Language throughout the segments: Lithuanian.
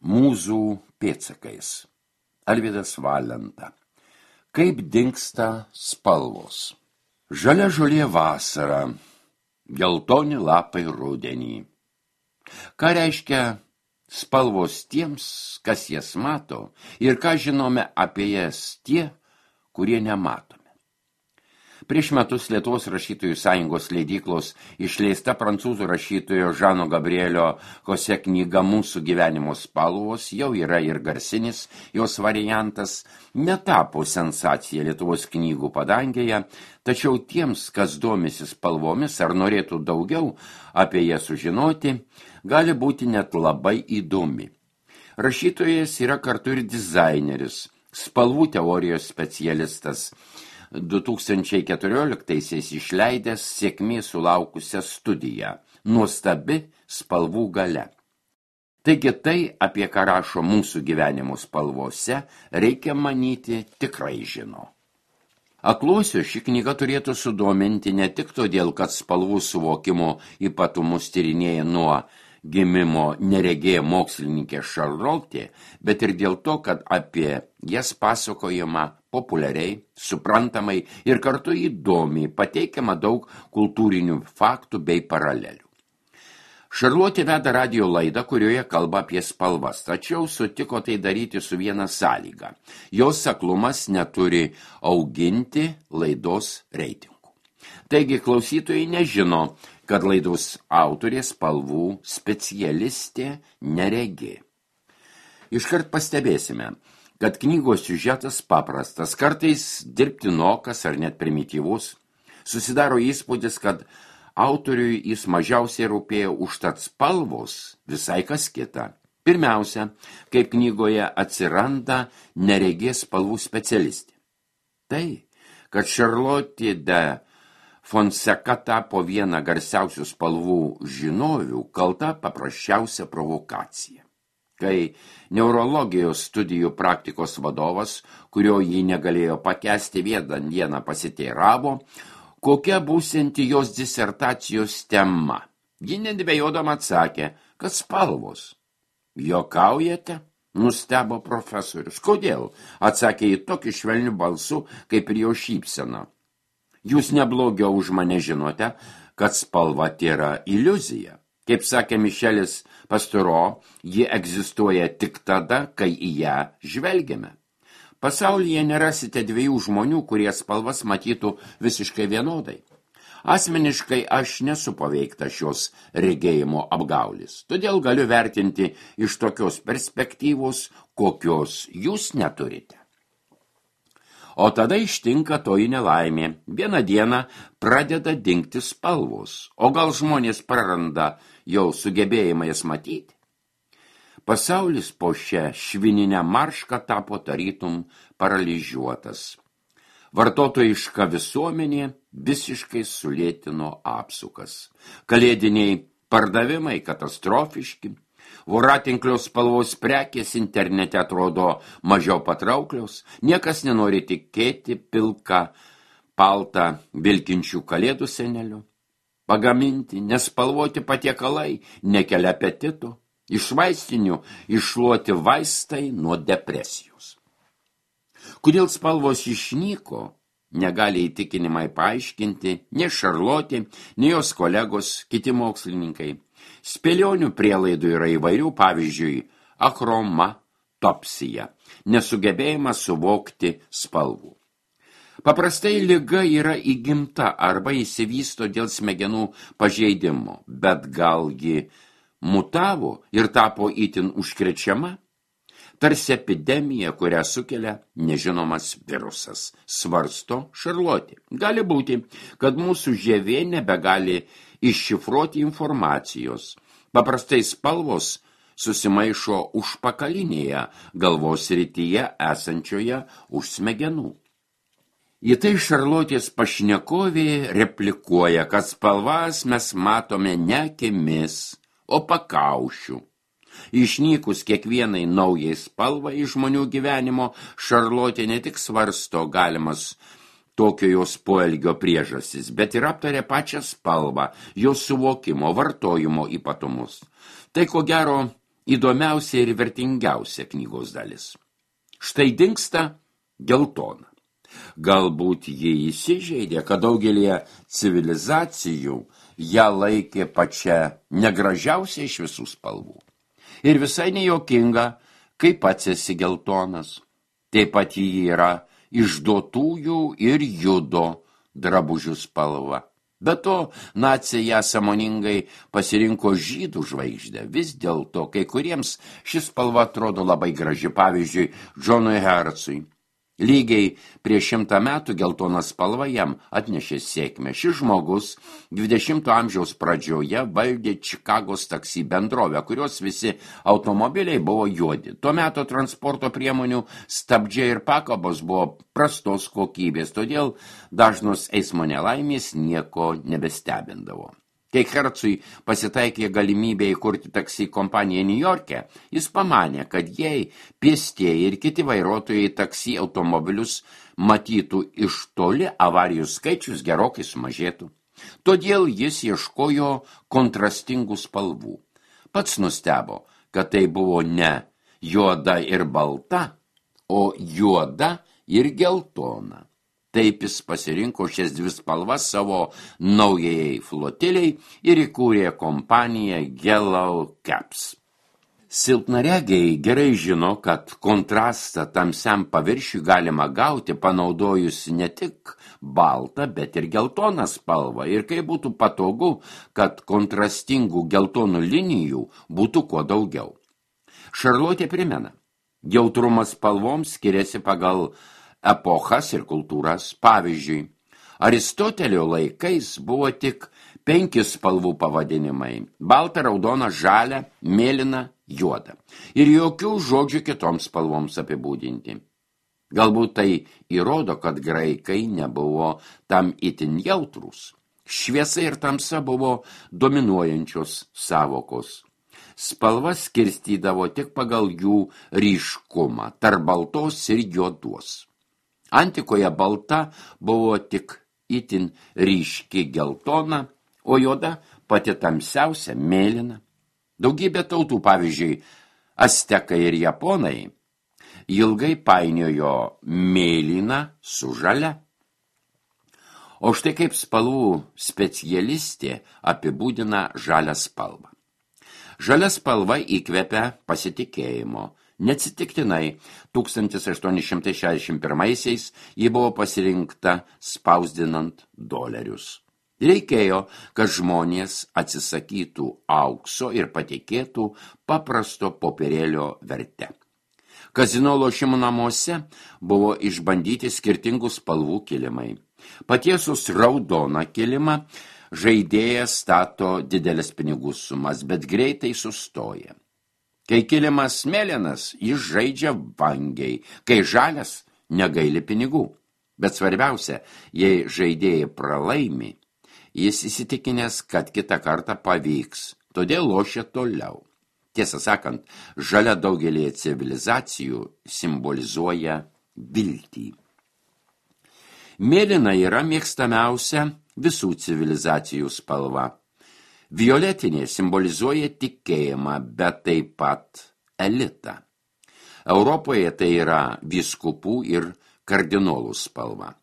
Mūzų pėdsakais. Alvydas Valenta. Kaip dingsta spalvos. Žalia žolė vasara, geltoni lapai rudenį. Ką reiškia spalvos tiems, kas jas mato, ir ką žinome apie jas tie, kurie nematome. Prieš metus Lietuvos rašytojų sąjungos leidyklos išleista prancūzų rašytojo Žano Gabrielio Hose knyga Mūsų gyvenimo spalvos jau yra ir garsinis jos variantas, netapo sensacija Lietuvos knygų padangėje, tačiau tiems, kas domisi spalvomis ar norėtų daugiau apie jas sužinoti, gali būti net labai įdomi. Rašytojas yra kartu ir dizaineris, spalvų teorijos specialistas, 2014 išleidęs sėkmės sulaukusią studiją Nuostabi spalvų galia. Taigi tai, apie ką rašo Mūsų gyvenimo spalvose, reikia manyti tikrai žino. Akluosio ši knyga turėtų sudominti ne tik todėl, kad spalvų suvokimo ypatumus tyrinėja nuo gimimo neregėja mokslininkė Charlotte, bet ir dėl to, kad apie jas pasakojama populiariai, suprantamai ir kartu įdomiai pateikiama daug kultūrinių faktų bei paralelių. Charlotte veda radijo laidą, kurioje kalba apie spalvas, tačiau sutiko tai daryti su viena sąlyga. Jos aklumas neturi auginti laidos reitingų. Taigi klausytojai nežino, kad laidos autorė spalvų specialistė neregė. Iškart pastebėsime, kad knygos siužetas paprastas, kartais dirbtinokas ar net primityvus. Susidaro įspūdis, kad autoriui jis mažiausiai rūpėjo, užtat spalvos visai kas kita. Pirmiausia, kaip knygoje atsiranda neregės spalvų specialistė. Tai, kad Charlotte de Fonseca tapo viena garsiausių spalvų žinovių, kalta paprasčiausia provokacija. Kai neurologijos studijų praktikos vadovas, kurio jį negalėjo pakęsti vieną dieną pasiteiravo, kokia būsianti jos disertacijos tema. Ji nedvejodama atsakė, kad spalvos. Juokaujate? Nustebo profesorius. Kodėl? Atsakė į tokį švelnių balsų, kaip ir jo šypsena. Jūs neblogiau už mane žinote, kad spalva tėra iliuzija. Kaip sakė Mišelis Pasturo, ji egzistuoja tik tada, kai į ją žvelgiame. Pasaulyje nerasite dviejų žmonių, kurie spalvas matytų visiškai vienodai. Asmeniškai aš nesu paveikta šios regėjimo apgaulis, todėl galiu vertinti iš tokios perspektyvos, kokios jūs neturite. O tada ištinka toji nelaimė. Vieną dieną pradeda dingti spalvos, o gal žmonės praranda jau sugebėjimą jas matyti. Pasaulis po šią švininę maršką tapo tarytum paralyžiuotas. Vartotojiška visuomenė visiškai sulėtino apsukas. Kalėdiniai pardavimai katastrofiški. Voratinklio spalvos prekės internete atrodo mažiau patrauklios, niekas nenori tikėti pilką paltą vilkinčių kalėdų senelių. Pagaminti, nespalvoti patiekalai nekelia apetito, iš vaistinių iššluoti vaistai nuo depresijos. Kodėl spalvos išnyko, negali įtikinimai paaiškinti nei Charlotte, nei jos kolegos, kiti mokslininkai. Spėlionių prielaidų yra įvairių, pavyzdžiui, achromatopsija, nesugebėjimas suvokti spalvų. Paprastai liga yra įgimta arba įsivysto dėl smegenų pažeidimo, bet gal ji mutavo ir tapo itin užkrečiama? Tarsi epidemija, kurią sukelia nežinomas virusas, svarsto Charlotte. Gali būti, kad mūsų žievė nebegali iššifruoti informacijos. Paprastai spalvos susimaišo užpakalinėje galvos srityje esančioje už smegenų. Į tai Charlottės pašnekovė replikuoja, kad spalvas mes matome ne akimis, o pakaušiu. Išnykus kiekvienai naujai spalvai iš žmonių gyvenimo, Charlotte ne tik svarsto galimas tokio jos poelgio priežastis, bet ir aptarė pačią spalvą, jos suvokimo, vartojimo ypatumus. Tai ko gero įdomiausia ir vertingiausia knygos dalis. Štai dingsta geltona. Galbūt jie įsižeidė, kad daugelie civilizacijų ją laikė pačia negražiausia iš visų spalvų. Ir visai nejuokinga, kai pats esi geltonas. Taip pat ji yra išduotųjų ir judo drabužių spalva. Be to, naciai ją sąmoningai pasirinko žydų žvaigždę. Vis dėlto, kai kuriems šis spalva atrodo labai graži, pavyzdžiui, Džonui Hercui. Lygiai prieš 100 metų geltona spalva jam atnešė sėkmę. Šis žmogus 20 amžiaus pradžioje valdė Čikagos taksi bendrovę, kurios visi automobiliai buvo juodi. Tuo metu transporto priemonių stabdžiai ir pakabos buvo prastos kokybės, todėl dažnos eismo nelaimės nieko nebestebindavo. Kai Hercui pasitaikė galimybė įkurti taksi kompaniją Niujorke, jis pamanė, kad jei pėstieji ir kiti vairuotojai taksi automobilius matytų iš toli, avarijų skaičius gerokai sumažėtų. Todėl jis ieškojo kontrastingų spalvų. Pats nustebo, kad tai buvo ne juoda ir balta, o juoda ir geltona. Taip jis pasirinko šias dvi spalvas savo naujai flotiliai ir įkūrė kompaniją Yellow Caps. Silpnaregiai gerai žino, kad kontrastą tamsiam paviršiui galima gauti panaudojus ne tik baltą, bet ir geltoną spalvą ir kai būtų patogu, kad kontrastingų geltonų linijų būtų kuo daugiau. Šarlotė primena, jautrumas spalvoms skiriasi pagal epochas ir kultūras. Pavyzdžiui, Aristotelio laikais buvo tik 5 spalvų pavadinimai – balta, raudona, žalia, mėlyna, juoda. Ir jokių žodžių kitoms spalvoms apibūdinti. Galbūt tai įrodo, kad graikai nebuvo tam itin jautrūs. Šviesa ir tamsa buvo dominuojančios sąvokos. Spalvas skirstydavo tik pagal jų ryškumą, tarp baltos ir juodos. Antikoje balta buvo tik itin ryški geltona, o juoda pati tamsiausia mėlyna. Daugybė tautų, pavyzdžiui, aztekai ir japonai, ilgai painiojo mėlyną su žalia. O štai kaip spalvų specialistė apibūdina žalią spalvą. Žalia spalva įkvepia pasitikėjimo. Neatsitiktinai 1861-aisiais ji buvo pasirinkta spausdinant dolerius. Reikėjo, kad žmonės atsisakytų aukso ir patikėtų paprasto popierėlio verte. Kazino lošimų namuose buvo išbandyti skirtingų spalvų kilimai. Patiesus raudoną kilimą žaidėjas stato didelės pinigų sumas, bet greitai sustoja. Kai kilimas mėlynas, jis žaidžia vangiai, kai žalias negaili pinigų. Bet svarbiausia, jei žaidėjai pralaimi, jis įsitikinęs, kad kitą kartą pavyks, todėl lošia toliau. Tiesą sakant, žalia daugelį civilizacijų simbolizuoja viltį. Mėlyna yra mėgstamiausia visų civilizacijų spalva. Violetinė simbolizuoja tikėjimą, bet taip pat elitą. Europoje tai yra vyskupų ir kardinolų spalva.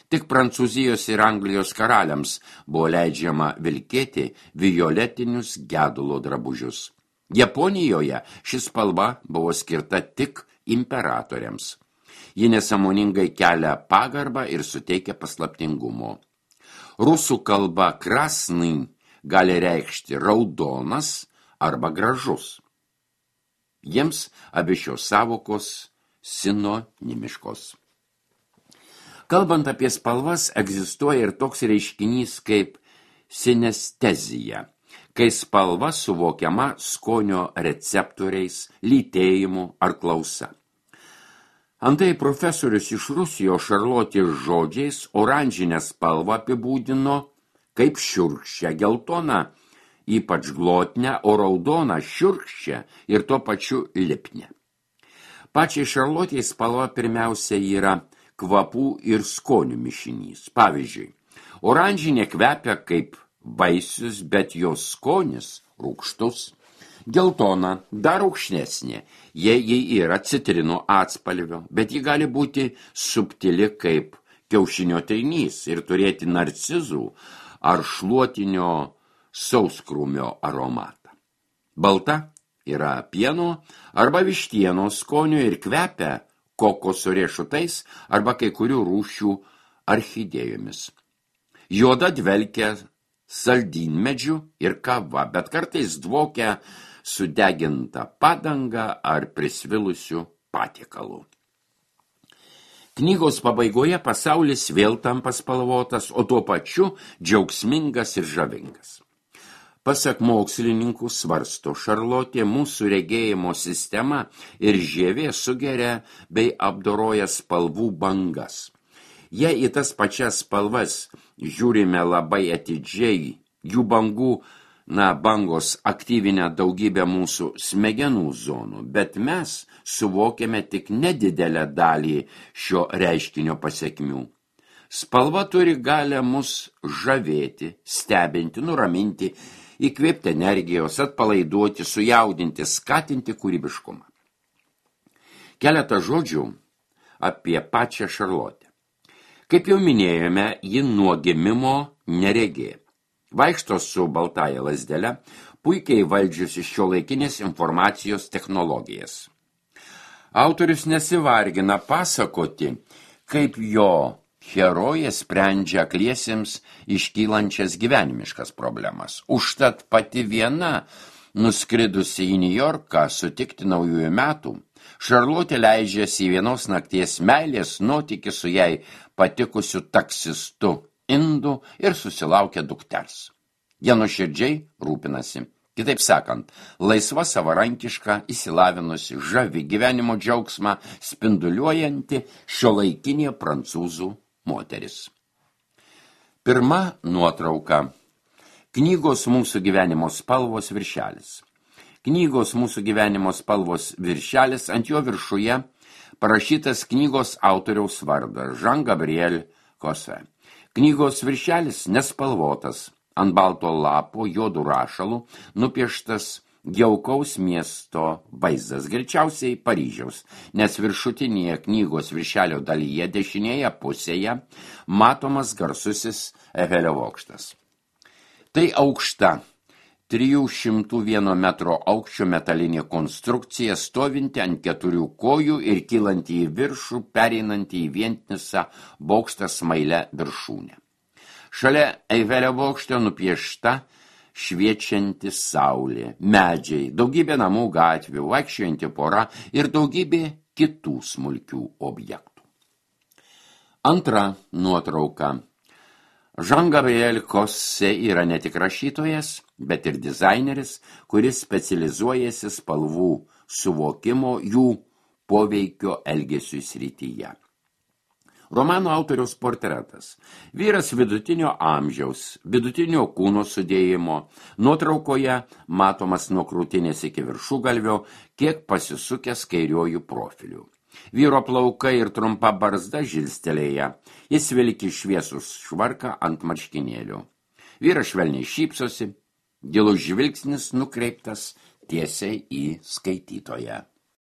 Tik Prancūzijos ir Anglijos karaliams buvo leidžiama vilkėti violetinius gedulo drabužius. Japonijoje ši spalva buvo skirta tik imperatoriams. Ji nesąmoningai kelia pagarbą ir suteikia paslaptingumo. Rusų kalba krasny gali reikšti raudonas arba gražus. Jiems abi šios sąvokos sinonimiškos. Kalbant apie spalvas, egzistuoja ir toks reiškinys kaip sinestezija, kai spalva suvokiama skonio receptoriais, lytėjimu ar klausa. Antai profesorius iš Rusijos Šarlotės žodžiais oranžinę spalvą apibūdino kaip šiurkščią, geltoną, ypač glotnę, o raudoną šiurkščią ir tuo pačiu lipnę. Pačiai Šarlotei spalva pirmiausia yra kvapų ir skonių mišinys. Pavyzdžiui, oranžinė kvepia kaip vaisius, bet jos skonis rūgštus. Geltona, dar aukštesnė, jei ji yra citrinų atspalvio, bet ji gali būti subtili kaip kiaušinio trynys ir turėti narcizų ar šluotinio sauskrūmio aromatą. Balta yra pieno arba vištieno skonio ir kvepia kokoso riešutais arba kai kurių rūšių orchidėjomis. Juoda dvelkia saldynmedžių ir kava, bet kartais dvokia sudeginta padanga ar prisvilusių patiekalu. Knygos pabaigoje pasaulis vėl tampa spalvotas, o tuo pačiu džiaugsmingas ir žavingas. Pasak mokslininkų svarsto Šarlotė, mūsų regėjimo sistema ir žievė sugeria bei apdoroja spalvų bangas. Jei į tas pačias spalvas žiūrime labai atidžiai, jų bangos aktyvinę daugybę mūsų smegenų zonų, bet mes suvokiame tik nedidelę dalį šio reiškinio pasekmių. Spalva turi galę mus žavėti, stebinti, nuraminti, įkvėpti energijos, atpalaiduoti, sujaudinti, skatinti kūrybiškumą. Keletą žodžių apie pačią Šarlotę. Kaip jau minėjome, ji nuo gimimo neregė. Vaikšto su baltąja lazdele, puikiai valdžiusi šiuolaikinės informacijos technologijas. Autorius nesivargina pasakoti, kaip jo herojė sprendžia akliesiems iškylančias gyvenimiškas problemas. Užtat pati viena, nuskridusi į Niujorką sutikti naujųjų metų, Šarlotė leidžiasi į vienos nakties meilės nuotykį su jai patikusiu taksistu indu ir susilaukia dukters. Jie nuoširdžiai rūpinasi. Kitaip sakant, laisva, savarankiška, įsilavinusi, žavi gyvenimo džiaugsmą spinduliuojanti šiuolaikinė prancūzų moteris. Pirma nuotrauka. Knygos mūsų gyvenimo spalvos viršelis. Knygos mūsų gyvenimo spalvos viršelis, ant jo viršuje parašytas knygos autoriaus vardas Jean-Gabriel Cosset. Knygos viršelis nespalvotas, ant balto lapo juodų rašalų nupieštas jaukaus miesto vaizdas, greičiausiai Paryžiaus, nes viršutinėje knygos viršelio dalyje dešinėje pusėje matomas garsusis Eifelio bokštas. Tai aukšta 301 metro aukščio metalinė konstrukcija, stovinti ant 4 kojų ir kylanti į viršų, pereinanti į vientisą bokštą smailę viršūnę. Šalia Eifelio bokšto nupiešta šviečianti saulė, medžiai, daugybė namų gatvių, vaikščiojanti pora ir daugybė kitų smulkių objektų. Antra nuotrauka. Jean-Gabriel Cosset yra ne tik rašytojas, bet ir dizaineris, kuris specializuojasi spalvų suvokimo jų poveikio elgesiui srityje. Romano autoriaus portretas. Vyras vidutinio amžiaus, vidutinio kūno sudėjimo. Nuotraukoje matomas nuo krūtinės iki viršugalvio, kiek pasisukęs kairiuoju profiliu. Vyro plaukai ir trumpa barzda žilstelėja. Jis vilki šviesus švarką ant marškinėlių. Vyras švelniai šypsosi, gilus žvilgsnis nukreiptas tiesiai į skaitytoją.